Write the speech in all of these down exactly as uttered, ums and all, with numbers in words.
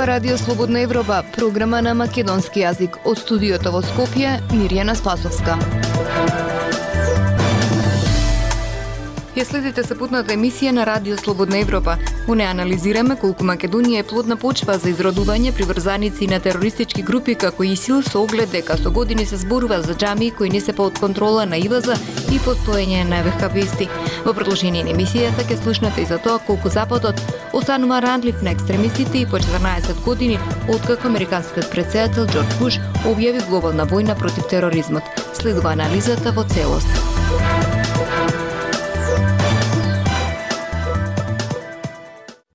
Радио Слободна Европа, програма на македонски јазик. Од студиото во Скопје, Мирјана Спасовска. Ја следите сапутната емисија на Радио Слободна Европа. Во неја анализираме колку Македонија е плодна почва за изродување приврзаници на терористички групи како ИСИЛ, со оглед дека со години се зборува за џамии кои не се под контрола на ИВАЗ и постоење на вехабисти. Во продолжение на емисијата ќе слушнете и за тоа колку Западот останува ранлив на екстремистите и по четрнаесет години откако американскиот претседател Џорџ Буш објави глобална војна против тероризмот. Следува анализата во целост.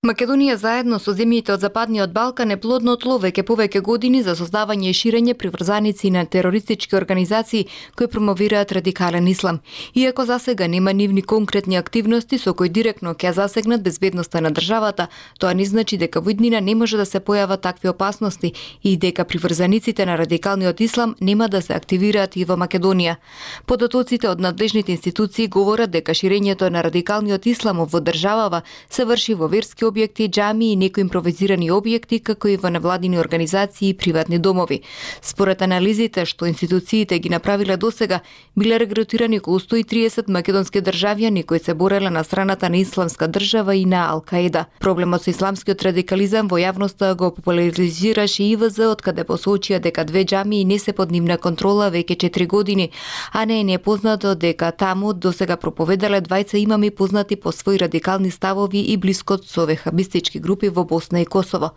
Македонија заедно со земјите од Западниот Балкан е плодно тло веќе повеќе години за создавање и ширење приврзаници на терористички организации кои промовираат радикален ислам. Иако засега нема нивни конкретни активности со кои директно ќе засегнат безбедноста на државата, тоа не значи дека во иднина не може да се појават такви опасности и дека приврзаниците на радикалниот ислам нема да се активираат и во Македонија. Податоците од надлежните институции говорат дека ширењето на радикалниот ислам во државава се врши во верски објекти, џамии и некои импровизирани објекти, како и во невладини организации и приватни домови. Според анализите што институциите ги направиле досега, биле регрутирани околу сто и триесет македонски државјани кои се бореле на страната на Исламска држава и на Ал-Каида. Проблемот со исламскиот радикализам во јавноста го популаризираше ИВЗ, откаде посочија дека две џамии не се под нивна контрола веќе четири години, а не е непознато дека таму досега проповедале двајца имами познати по своји радикални ставови и блискот со вехабистички групи во Босна и Косово.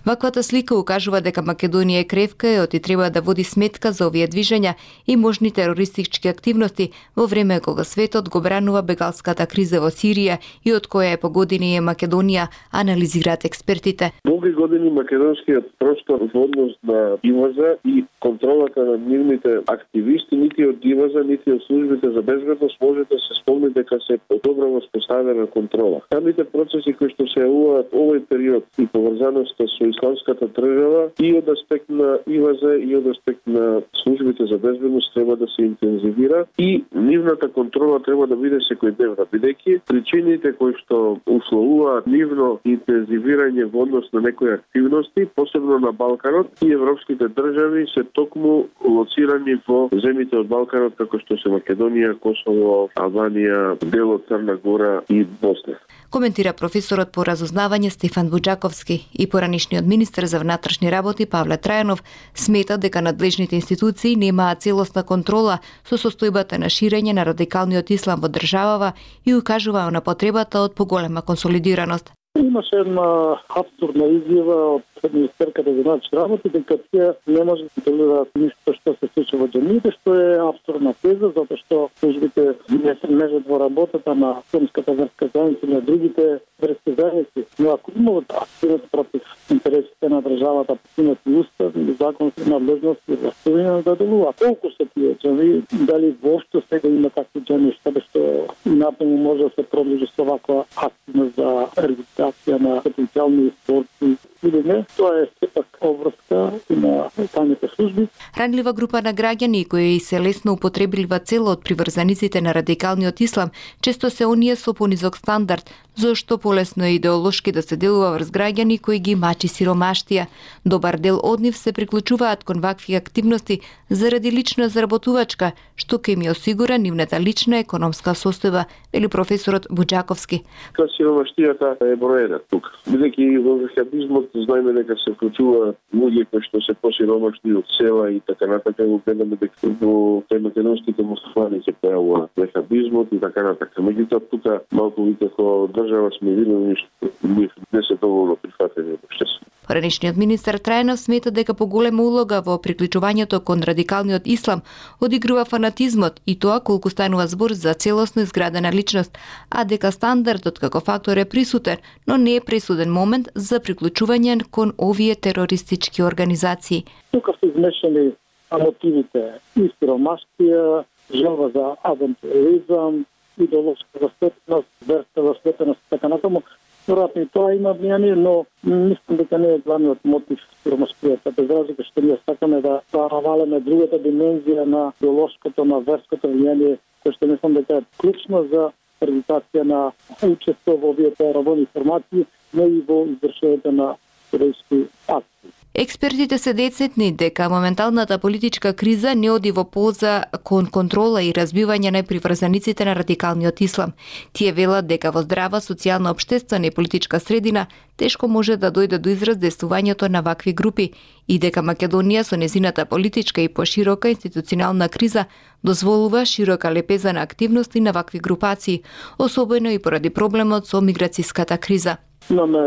Ваквата слика укажува дека Македонија е кревка и оти треба да води сметка за овие движења и можни терористички активности во време кога светот го бранува бегалската криза во Сирија и од која е по години е Македонија, анализираат експертите. Долги години македонскиот простор во однос на ИВАЗ и контролата на нивните активисти, нити од ИВАЗ, нити од службите за безбедност може да се спомни дека се добро воспоставена контрола. Самите процеси кои што се јавуваат овој период и поврзаноста со исламската држава и од аспект на ИВАЗ и од аспект на службите за безбедност треба да се интензивира и нивната контрола треба да биде секојдневна, бидејќи причините кои што условуваат нивно интензивирање во однос на некои активности, посебно на Балканот и европските држави се токму лоцирани во земјите од Балканот како што се Македонија, Косово, Албанија, дел од Црна Гора и Босна. Коментира професорот по разузнавање Стефан Буџаковски и поранишниот министер за внатрешни работи Павле Трајанов смета дека надлежните институции немаат целосна контрола со состојбата на ширење на радикалниот ислам во државава и укажуваа на потребата од поголема консолидираност. Имаше една абсурдна изјава од министерката за внатрешни работи дека тие не може да контролираат ништо што се случува во џамиите, што е абсурдна теза, затоа што службите не се межат во работата на исламската верска заедница и на другите верски заедници. Но ако имаат активност против интересите на државата, имат и устав и законски надлежности и властовина да делуваат. Колку се тие џамии, дали воопшто сега има такви џамии, што напрему може да се продолжи со ваква активност за регистрација на потенцијални борци или не, тоа е сепак обврска на тајните служби. Ранлива група на граѓани кои се лесно употребилива цел од приврзаниците на радикалниот ислам, често се оние со понизок стандард, зашто полесно е идеолошки да се делува врз граѓани кои ги мачи сиромаштија. Добар дел од нив се приклучуваат кон вакви активности заради лична заработувачка, што ќе ми осигура нивната лична економска состојба, вели професорот Буџаковски. Сиромаштијата е број еден тука. Бидејќи во вехабизмот знаеме дека се вклучуваат луѓе кои што се посиромашни од села и така натака, го гледаме дека во македонските муслимани се појавува вехабизмот и така натака. Меѓутоа тука малку како држава сме видели што не се доволно прифатени од општеството. Поранишниот министер Трајанов смета дека поголема улога во приклучувањето кон радикалниот ислам одигрува фанатизмот и тоа колку станува збор за целосно изградена личност, а дека стандардот како фактор е присутен, но не е пресуден момент за приклучување кон овие терористички организации. Тука се измешани мотивите и сиромаштија, желба за авантуризам, идеолошка заслепеност, верска заслепеност и така натаму. Веројатно и тоа има влијание, но мислам дека не е главниот мотив сиромаштијата. Без разлика што ние сакаме да навалиме другата димензија на идеолошкото, на верското влијание, кој што мислам дека е клучно за акредитација на учество во овие теробни формации, но и во извршувањето на терористички акции. Експертите се децетни дека моменталната политичка криза не оди во полза кон контрола и разбивање на приврзаниците на радикалниот ислам. Тие велат дека во здрава социјална, општествена и политичка средина тешко може да дојде до израз действувањето на вакви групи и дека Македонија со незината политичка и поширока институционална криза дозволува широка лепеза на активности на вакви групации, особено и поради проблемот со миграцијската криза. Имаме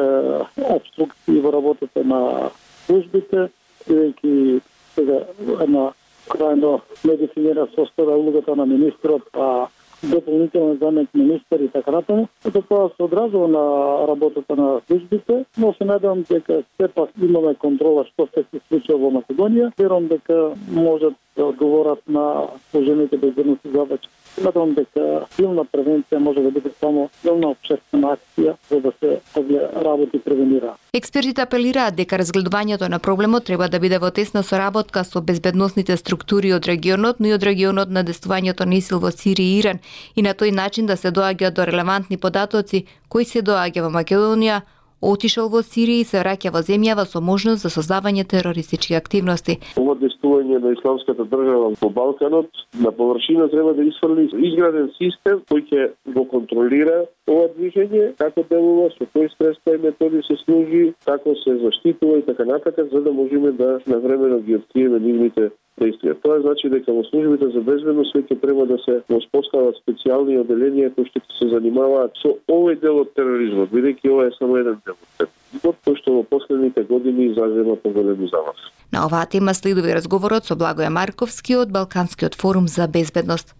обструкции во работата на службите, бидејќи сега една крајно недефинира состава улогата на министрот, а дополнително замек министер и така натаму. Тоа се одразува на работата на службите, но се надевам дека сепак имаме контрола што се случува во Македонија. Верувам дека можат да одговорат на сложените безбедности задачи. Надевам дека силна превенција може да биде само силна општествена акција за да се овие работи превенира. Експертите апелираат дека разгледувањето на проблемот треба да биде во тесна соработка со безбедносните структури од регионот, но и од регионот на действувањето на ИСИЛ во Сирија и Иран и на тој начин да се доаѓа до релевантни податоци кои се доаѓа во Македонија, отишол во Сирија и се враќа во земјава со можност за создавање терористички активности. Ова действување на исламската држава во Балканот на површина треба да изфрли изграден систем кој ќе го контролира ова движење, како делува, со кои средства и методи се служи, како се заштитува и така натаму, за да можеме да навремено ги откриеме нивните действија. Тоа значи дека во службите за безбедност веќе треба да се воспостават специјални оделенија кои што се занимаваат со овој дел од тероризмот, бидејќи ова е само еден дел од тероризмот, кој што во последните години изазема поголеми замах. На оваа тема следува разговорот со Благоја Марковски од Балканскиот форум за безбедност.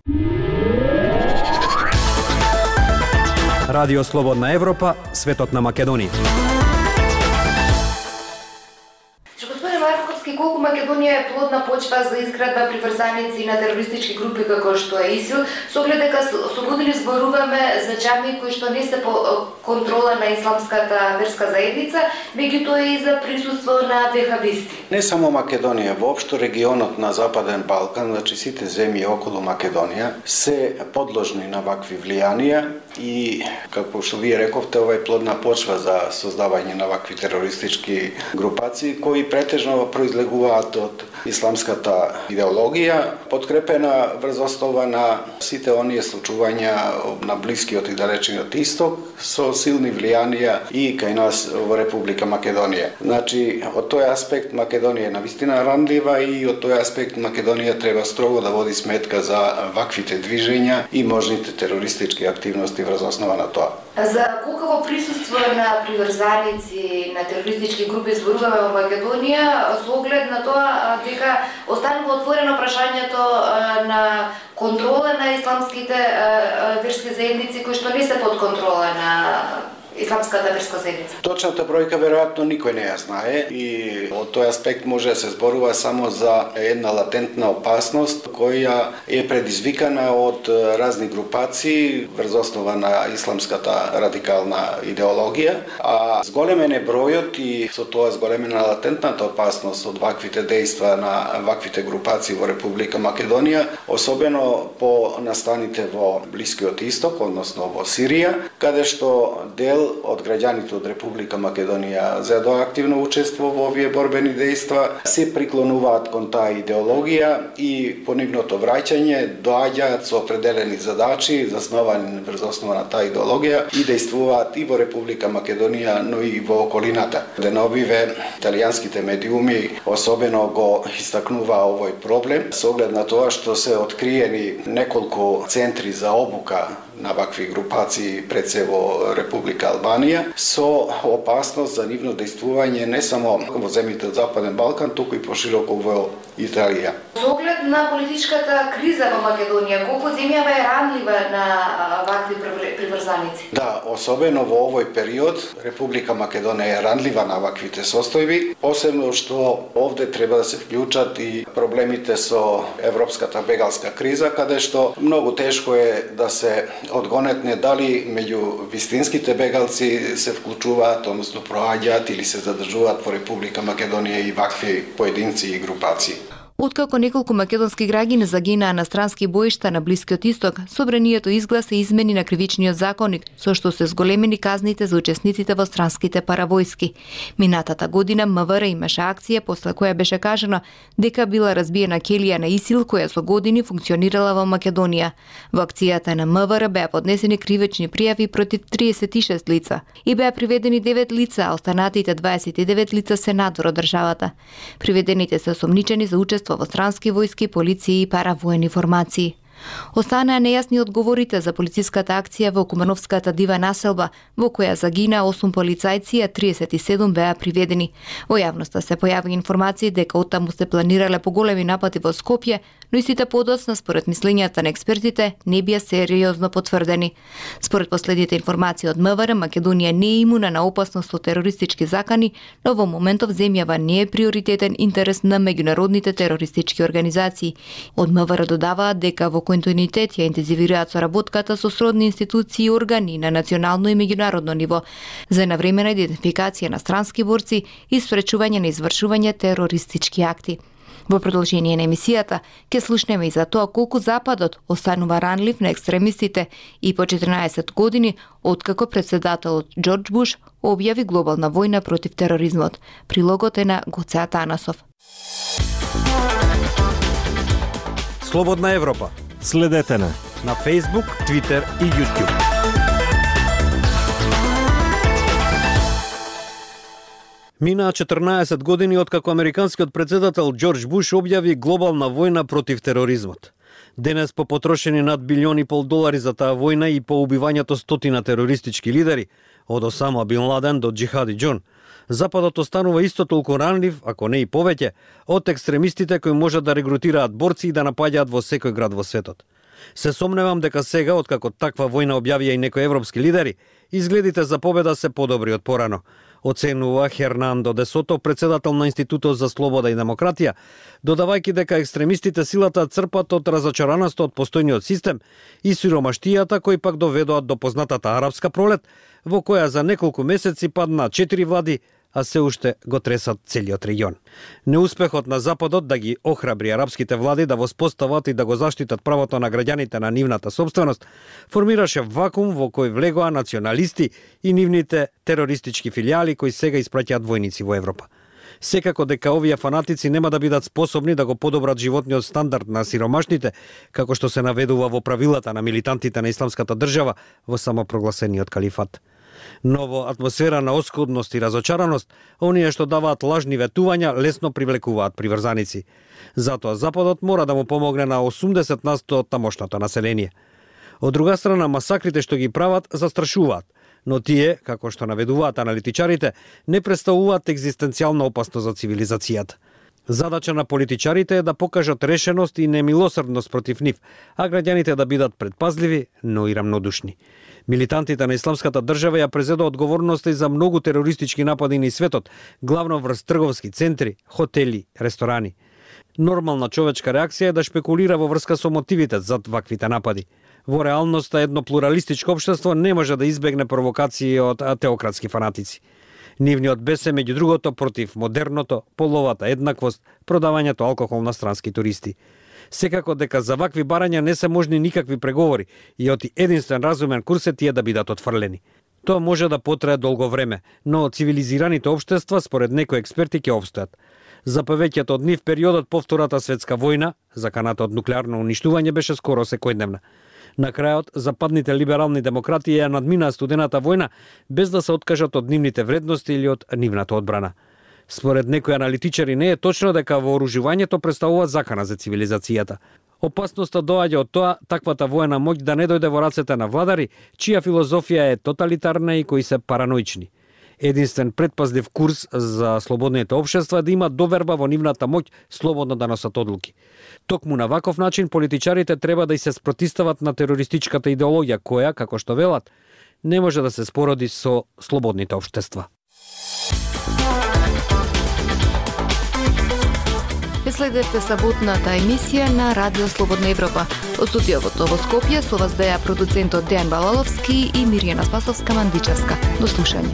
Радио Слободна Европа, светот на Македонија. Колку Македонија е плодна почва за изградба приврзаници на терористички групи како што е ИСИЛ, со оглед дека со години зборуваме за џамии кои што не се по контрола на исламската верска заедница, меѓутоа и за присуство на вехабисти. Не само Македонија, воопшто регионот на Западен Балкан, значи сите земји околу Македонија се подложни на вакви влијанија и, како што вие рековте, ова е плодна почва за создавање на вакви терористички групации кои претежно произлегуваат од исламската идеологија, подкрепена врз основа на сите оние случувања на Блискиот и Далечниот Исток со силни влијанија и кај нас во Република Македонија. Значи, од тој аспект Македонија е навистина ранлива и од тој аспект Македонија треба строго да води сметка за ваквите движења и можните терористички активности врз основа на тоа. За колкаво присуство на приврзаници на терористички групи зборуваме во Македонија, со оглед на тоа дека останува отворено прашањето на контрола на исламските верски заедници кои што не се под контрола на исламската верска заедница. Точната бројка веројатно никој не ја знае и од тој аспект може да се зборува само за една латентна опасност која е предизвикана од разни групации врз основа на исламската радикална идеологија, а зголемен е бројот и со тоа зголемена латентната опасност од ваквите дејства на ваквите групации во Република Македонија, особено по настаните во Блискиот Исток, односно во Сирија, каде што дел од граѓаните од Република Македонија зедоа активно учество во овие борбени дејства, се приклонуваат кон таа идеологија и по нивното враќање доаѓаат со определени задачи засновани врз основа на таа идеологија и дејствуваат и во Република Македонија, но и во околината. Деновиве италијанските медиуми особено го истакнуваа овој проблем со оглед на тоа што се откриени неколку центри за обука на вакви групации пред се во Република Албанија со опасност за нивно дејствување не само во земјите од Западен Балкан, туку и пошироко во Италија. Со оглед на политичката криза во Македонија, колку земјава е ранлива на вакви приврзаници? Да, особено во овој период Република Македонија е ранлива на ваквите состојби, посебно што овде треба да се вклучат и проблемите со европската бегалска криза, каде што многу тешко е да се одгонетне дали меѓу вистинските бегалци се вклучуваат, односно проаѓаат или се задржуваат во Република Македонија и вакви поединци и групации. Откако неколку македонски граѓани загинаа на странски боишта на Блискиот Исток, собранието изгласа измени на кривичниот законник, со што се зголемени казните за учесниците во странските паравојски. Минатата година МВР имаше акција после која беше кажано дека била разбиена келија на ИСИЛ која со години функционирала во Македонија. Во акцијата на МВР беа поднесени кривични пријави против триесет и шест лица и беа приведени девет лица, а останатите дваесет и девет лица се надвор од државата. Приведените се осомничени за учество во странски војски, полиција и паравоени формации. Останаа нејасни одговорите за полициската акција во Кумановската дива населба, во која загинаа осум полицајци, а триесет и седум беа приведени. Во јавноста се појави информации дека оттаму се планирале поголеми напади во Скопје, но истите подоцна, според мислењата на експертите, не бија сериозно потврдени. Според последните информации од МВР, Македонија не е имуна на опасност од терористички закани, но во моментов земјава не е приоритетен интерес на меѓународните терористички организации. Од МВР додаваат дека во континуитет ја интензивираат соработката со сродни институции и органи на национално и меѓународно ниво за навремена идентификација на странски борци и спречување на извршување терористички акти. Во продолжение на емисијата ќе слушнеме и за тоа колку Западот останува ранлив на екстремистите и по четиринаесет години откако председателот Џорџ Буш објави глобална војна против тероризмот. Прилогот е на Гоце Атанасов. Слободна Европа. Следете на на Facebook, Twitter и YouTube. Минаа четрнаесет години откако американскиот председател Џорџ Буш објави глобална војна против тероризмот. Денес по потрошени над билион и пол долари за таа војна и по убивањето стотина терористички лидери, од Осама Бин Ладен до Џихади Џон, Западот останува исто толку ранлив, ако не и повеќе, од екстремистите кои можат да регрутираат борци и да напаѓаат во секој град во светот. Се сомневам дека сега, откако таква војна објавија и некои европски лидери, изгледите за победа се подобри од порано, оценува Хернандо де Сото, председател на Институтот за слобода и демократија, додавајќи дека екстремистите силата црпат од разочараноста од постојниот систем и сиромаштијата кои пак доведоат до познатата арапска пролет, во која за неколку месеци паднаа четири влади, а се уште го тресат целиот регион. Неуспехот на Западот да ги охрабри арапските влади да воспостават и да го заштитат правото на граѓаните на нивната собственост, формираше вакуум во кој влегоа националисти и нивните терористички филијали кои сега испраќаат војници во Европа. Секако дека овие фанатици нема да бидат способни да го подобрат животниот стандард на сиромашните, како што се наведува во правилата на милитантите на исламската држава во самопрогласениот калифат. Но во атмосфера на оскудност и разочараност, оние што даваат лажни ветувања лесно привлекуваат приврзаници. Затоа Западот мора да му помогне на осумдесет на сто од тамошното население. Од друга страна, масакрите што ги прават застрашуваат, но тие, како што наведуваат аналитичарите, не представуваат екзистенцијална опасност за цивилизацијата. Задача на политичарите е да покажат решеност и немилосрдност против нив, а граѓаните да бидат предпазливи, но и рамнодушни. Милитантите на исламската држава ја презедоа одговорноста и за многу терористички напади низ светот, главно врз трговски центри, хотели, ресторани. Нормална човечка реакција е да шпекулира во врска со мотивите зад ваквите напади. Во реалноста едно плуралистичко општество не може да избегне провокации од теократски фанатици. Нивниот бес е меѓу другото против модерното, половата еднаквост, продавањето алкохол на странски туристи. Секако дека за вакви барања не се можни никакви преговори и оти единствен разумен курс е тие да бидат отфрлени. Тоа може да потрае долго време, но цивилизираните општества според некои експерти ќе опстојат. За повеќето од нив периодот по Втората светска војна, заканата од нуклеарно уништување, беше скоро секојдневна. На крајот, западните либерални демократи ја надминаа студената војна без да се откажат од нивните вредности или од нивната одбрана. Според некои аналитичари не е точно дека вооружувањето представува закана за цивилизацијата. Опасноста доаѓа од тоа таквата воена моќ да не дојде во рацете на владари, чија филозофија е тоталитарна и кои се параноични. Единствен предпазлив курс за слободните општества е да има доверба во нивната моќ слободно да носат одлуки. Токму на ваков начин политичарите треба да и се спротистават на терористичката идеологија која, како што велат, не може да се спороди со слободните општества. Следете саботната емисија на Радио Слободна Европа. Од студиото во Скопје со вас беа продуцентот Дејан Балаловски и Мирјана Спасовска-Мандичевска. До слушање.